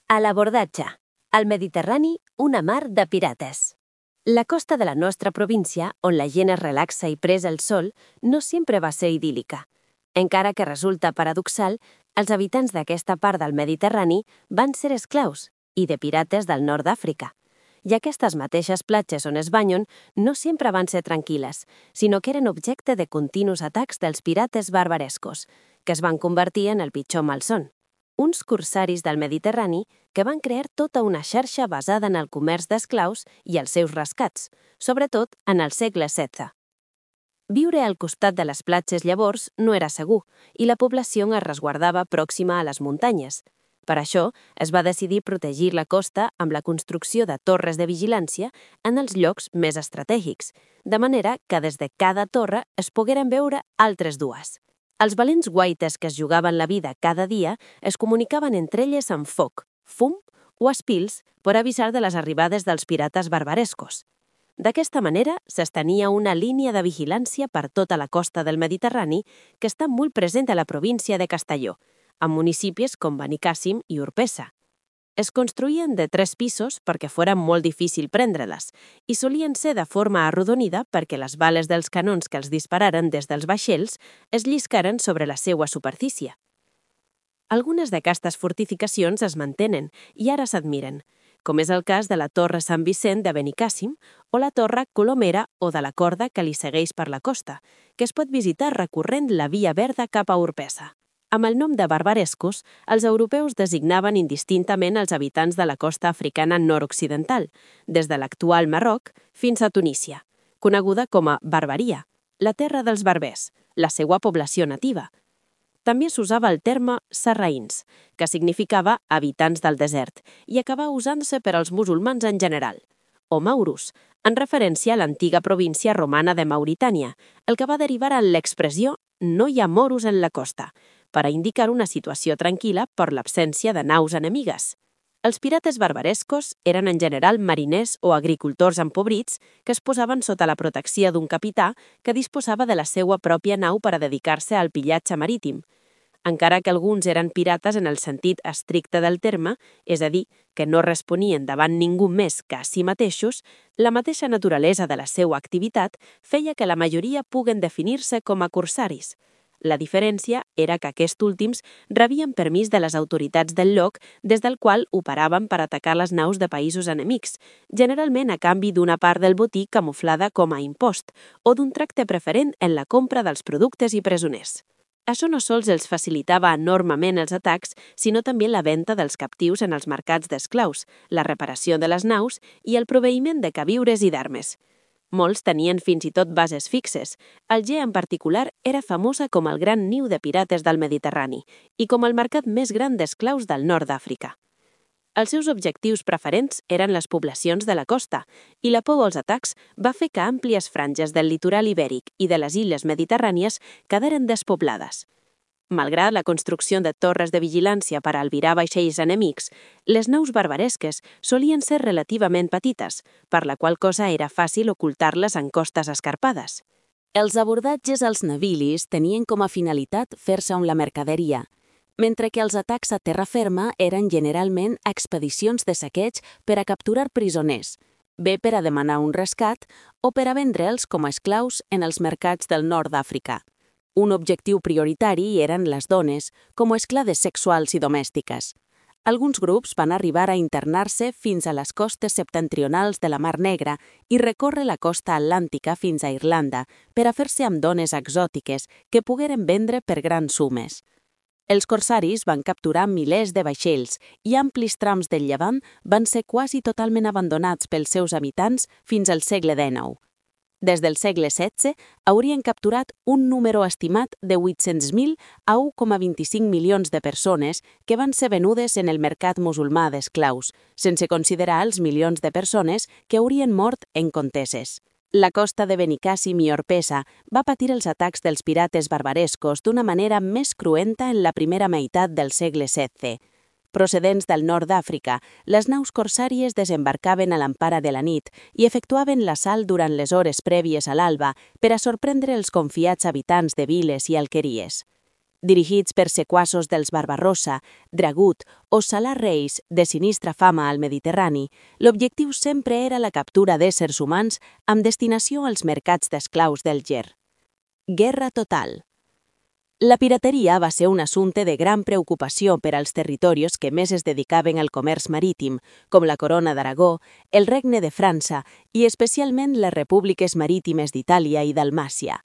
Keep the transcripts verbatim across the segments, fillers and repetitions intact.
A l'abordatge. Al Mediterrani, una mar de pirates. La costa de la nostra província, on la gent es relaxa i presa el sol, no sempre va ser idíl·lica. Encara que resulta paradoxal, els habitants d'aquesta part del Mediterrani van ser esclaus i de pirates del nord d'Àfrica. I aquestes mateixes platges on es banyen no sempre van ser tranquil·les, sinó que eren objecte de continus atacs dels pirates barbarescos, que es van convertir en el pitjor malson. Uns corsaris del Mediterrani que van crear tota una xarxa basada en el comerç d'esclaus i els seus rescats, sobretot en el segle setze. Viure al costat de les platges llavors no era segur i la població es resguardava pròxima a les muntanyes. Per això, es va decidir protegir la costa amb la construcció de torres de vigilància en els llocs més estratègics, de manera que des de cada torre es pogueren veure altres dues. Els valents guaites que es jugaven la vida cada dia es comunicaven entre elles amb foc, fum o espils per avisar de les arribades dels pirates barbarescos. D'aquesta manera s'estenia una línia de vigilància per tota la costa del Mediterrani que està molt present a la província de Castelló, amb municipis com Benicàssim i Orpesa. Es construïen de tres pisos perquè fora molt difícil prendre-les i solien ser de forma arrodonida perquè les bales dels canons que els dispararen des dels vaixells es lliscaren sobre la seua superfície. Algunes d'aquestes fortificacions es mantenen i ara s'admiren, com és el cas de la Torre Sant Vicent de Benicàssim o la Torre Colomera o de la Corda que li segueix per la costa, que es pot visitar recorrent la Via Verda cap a Orpesa. Amb el nom de barbarescos, els europeus designaven indistintament els habitants de la costa africana nord-occidental, des de l'actual Marroc fins a Tunísia, coneguda com a Barbaria, la terra dels barbers, la seva població nativa. També s'usava el terme sarraïns, que significava habitants del desert, i acabà usant-se per als musulmans en general, o maurus, en referència a l'antiga província romana de Mauritània, el que va derivar en l'expressió «no hi ha moros en la costa», per a indicar una situació tranquil·la per l'absència de naus enemigues. Els pirates barbarescos eren en general mariners o agricultors empobrits que es posaven sota la protecció d'un capità que disposava de la seva pròpia nau per a dedicar-se al pillatge marítim. Encara que alguns eren pirates en el sentit estricte del terme, és a dir, que no responien davant ningú més que a si mateixos, la mateixa naturalesa de la seva activitat feia que la majoria puguen definir-se com a corsaris. La diferència era que aquests últims rebien permís de les autoritats del lloc des del qual operaven per atacar les naus de països enemics, generalment a canvi d'una part del botí camuflada com a impost o d'un tracte preferent en la compra dels productes i presoners. Això no sols els facilitava enormement els atacs, sinó també la venda dels captius en els mercats d'esclaus, la reparació de les naus i el proveïment de queviures i d'armes. Molts tenien fins i tot bases fixes. Alger, en particular, era famosa com el gran niu de pirates del Mediterrani i com el mercat més gran d'esclaus del nord d'Àfrica. Els seus objectius preferents eren les poblacions de la costa i la por als atacs va fer que àmplies franges del litoral ibèric i de les illes mediterrànies quedaren despoblades. Malgrat la construcció de torres de vigilància per a albirar vaixells enemics, les naus barbaresques solien ser relativament petites, per la qual cosa era fàcil ocultar-les en costes escarpades. Els abordatges als navilis tenien com a finalitat fer-se amb la mercaderia, mentre que els atacs a terra ferma eren generalment expedicions de saqueig per a capturar prisoners, bé per a demanar un rescat o per a vendre'ls com a esclaus en els mercats del nord d'Àfrica. Un objectiu prioritari eren les dones, com a esclaves sexuals i domèstiques. Alguns grups van arribar a internar-se fins a les costes septentrionals de la Mar Negra i recórrer la costa atlàntica fins a Irlanda per a fer-se amb dones exòtiques que pogueren vendre per grans sumes. Els corsaris van capturar milers de vaixells i amplis trams del Llevant van ser quasi totalment abandonats pels seus habitants fins al segle dinou. Des del segle setze haurien capturat un número estimat de vuit-cents mil a u coma vint-i-cinc milions de persones que van ser venudes en el mercat musulmà d'esclaus, sense considerar els milions de persones que haurien mort en conteses. La costa de Benicàssim i Orpesa va patir els atacs dels pirates barbarescos d'una manera més cruenta en la primera meitat del segle setze. Procedents del nord d'Àfrica, les naus corsàries desembarcaven a l'empara de la nit i efectuaven l'assalt durant les hores prèvies a l'alba per a sorprendre els confiats habitants de viles i alqueries. Dirigits per sequassos dels Barbarossa, Dragut o Salar Reis, de sinistra fama al Mediterrani, l'objectiu sempre era la captura d'éssers humans amb destinació als mercats d'esclaus del Ger. Guerra total. La pirateria va ser un assumpte de gran preocupació per als territoris que més es dedicaven al comerç marítim, com la Corona d'Aragó, el Regne de França i especialment les repúbliques marítimes d'Itàlia i Dalmàcia.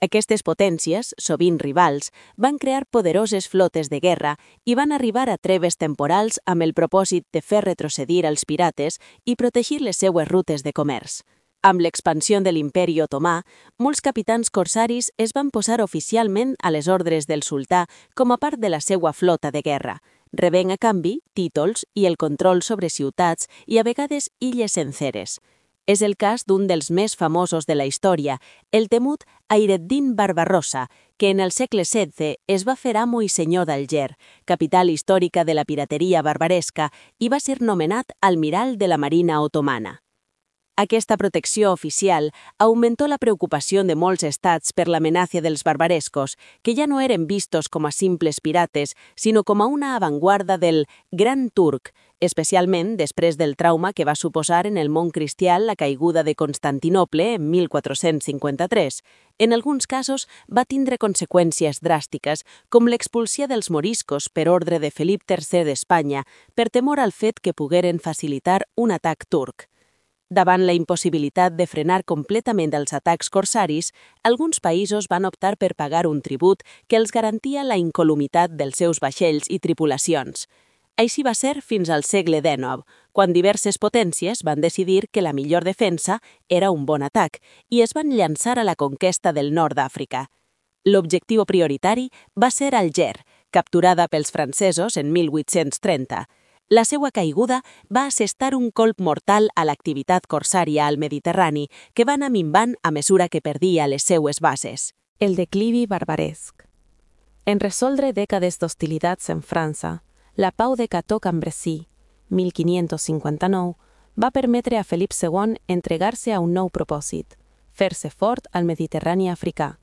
Aquestes potències, sovint rivals, van crear poderoses flotes de guerra i van arribar a treves temporals amb el propòsit de fer retrocedir als pirates i protegir les seues rutes de comerç. Amb l'expansió de l'Imperi Otomà, molts capitans corsaris es van posar oficialment a les ordres del sultà com a part de la seva flota de guerra, rebent a canvi títols i el control sobre ciutats i a vegades illes senceres. És el cas d'un dels més famosos de la història, el temut Hayreddin Barbarossa, que en el segle setze es va fer amo i senyor d'Alger, capital històrica de la pirateria barbaresca, i va ser nomenat almirall de la Marina otomana. Aquesta protecció oficial augmentó la preocupació de molts estats per l'amenaça dels barbarescos, que ja no eren vistos com a simples pirates, sinó com a una avantguarda del Gran Turc, especialment després del trauma que va suposar en el món cristià la caiguda de Constantinoble en mil quatre-cents cinquanta-tres. En alguns casos va tindre conseqüències dràstiques, com l'expulsió dels moriscos per ordre de Felip tercer d'Espanya, per temor al fet que pogueren facilitar un atac turc. Davant la impossibilitat de frenar completament els atacs corsaris, alguns països van optar per pagar un tribut que els garantia la incolumitat dels seus vaixells i tripulacions. Així va ser fins al segle dinou, quan diverses potències van decidir que la millor defensa era un bon atac i es van llançar a la conquesta del nord d'Àfrica. L'objectiu prioritari va ser Alger, capturada pels francesos en mil vuit-cents trenta. La seva caiguda va assestar un colp mortal a l'activitat corsària al Mediterrani, que va anar minvant a mesura que perdia les seues bases. El declivi barbaresc. En resoldre dècades d'hostilitats en França, la pau de Cateau-Cambrésis, mil quinientos cinquanta-nou, va permetre a Felip segon entregar-se a un nou propòsit, fer-se fort al Mediterrani africà.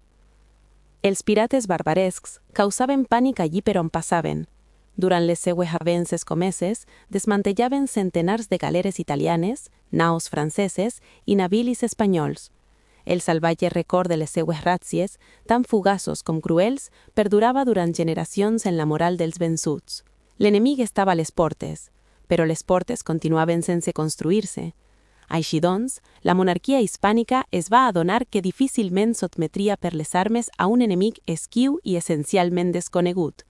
Els pirates barbarescs causaven pànic allí per on passaven. Durant les seues avences comeses, desmantellaven centenars de galeres italianes, naus franceses i navilis espanyols. El salvatge record de les seues ràtzies, tan fugaços com cruels, perdurava durant generacions en la moral dels vençuts. L'enemic estava a les portes, però les portes continuaven sense construir-se. Així doncs, la monarquia hispànica es va adonar que difícilment sotmetria per les armes a un enemic esquiu i essencialment desconegut.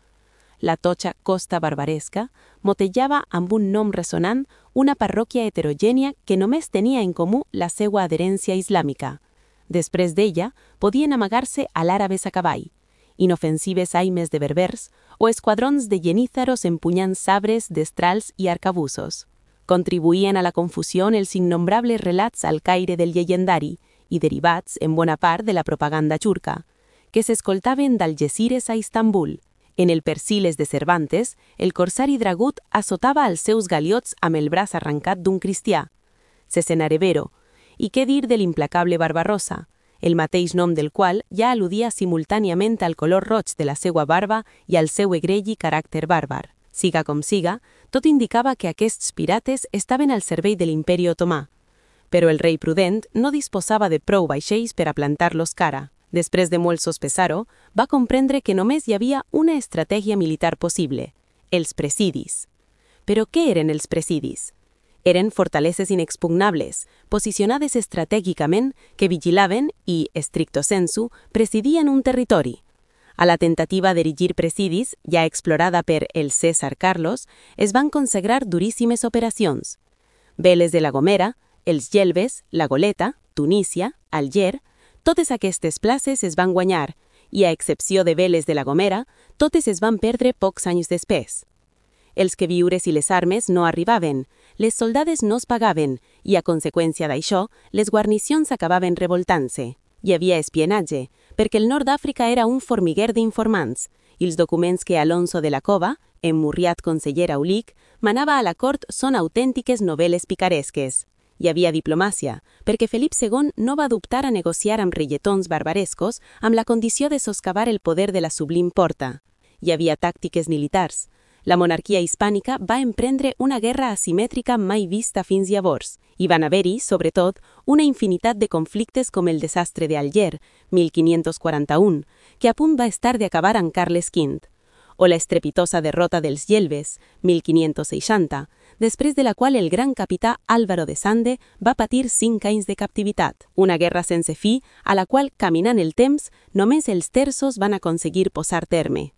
La totxa costa barbaresca motejava amb un nom ressonant una parròquia heterogènia que només tenia en comú la seva adherència islàmica. Després d'ella, podien amagar-se a l'àrabes a cavall, inofensives aimes de berbers o esquadrons de genízaros empunyant sabres, destrals i arcabussos. Contribuïen a la confusió els innombrables relats al caire del llegendari i derivats, en bona part, de la propaganda turca, que s'escoltaven d'Algesires a Istanbul. En el Persiles de Cervantes, el corsari Dragut assotava els seus galiots amb el braç arrencat d'un cristià. Cesenarevero, i què dir de l'implacable Barbarossa, el mateix nom del qual ja al·ludia simultàniament al color roig de la seva barba i al seu egreggi caràcter bàrbar. Siga com siga, tot indicava que aquests pirates estaven al servei de l'Imperi Otomà. Però el rei prudent no disposava de prou vaixells per a plantar-los cara. Després de molt sospesar-ho, va comprendre que només hi havia una estratègia militar possible, els presidis. Però què eren els presidis? Eren fortaleses inexpugnables, posicionades estratègicament, que vigilaven i, stricto sensu, presidien un territori. A la tentativa d'erigir presidis, ja explorada per el Cèsar Carlos, es van consagrar duríssimes operacions. Veles de la Gomera, els Gelbes, la Goleta, Tunísia, Alger, totes aquestes places es van guanyar i, a excepció de Veles de la Gomera, totes es van perdre pocs anys després. Els queviures i les armes no arribaven, les soldades no es pagaven i, a conseqüència d'això, les guarnicions acabaven revoltant-se. Hi havia espionatge, perquè el nord d'Àfrica era un formiguer d'informants i els documents que Alonso de la Cova, emmurriat conseller aulic, manava a la cort són autèntiques novel·les picaresques. Hi havia diplomàcia, perquè Felip segon no va dubtar a negociar amb reietons barbarescos amb la condició de soscavar el poder de la Sublim Porta. Hi havia tàctiques militars. La monarquia hispànica va emprendre una guerra asimètrica mai vista fins llavors. Hi van haver-hi, sobretot, una infinitat de conflictes com el desastre d'Alger, mil quinientos quaranta-u, que a punt va estar d'acabar amb Carles quinze, o la estrepitosa derrota dels Yelves, mil quinientos seixanta, després de la qual el gran capità Álvaro de Sande va patir cinc anys de captivitat. Una guerra sense fi, a la qual, caminant el temps, només els terços van aconseguir posar terme.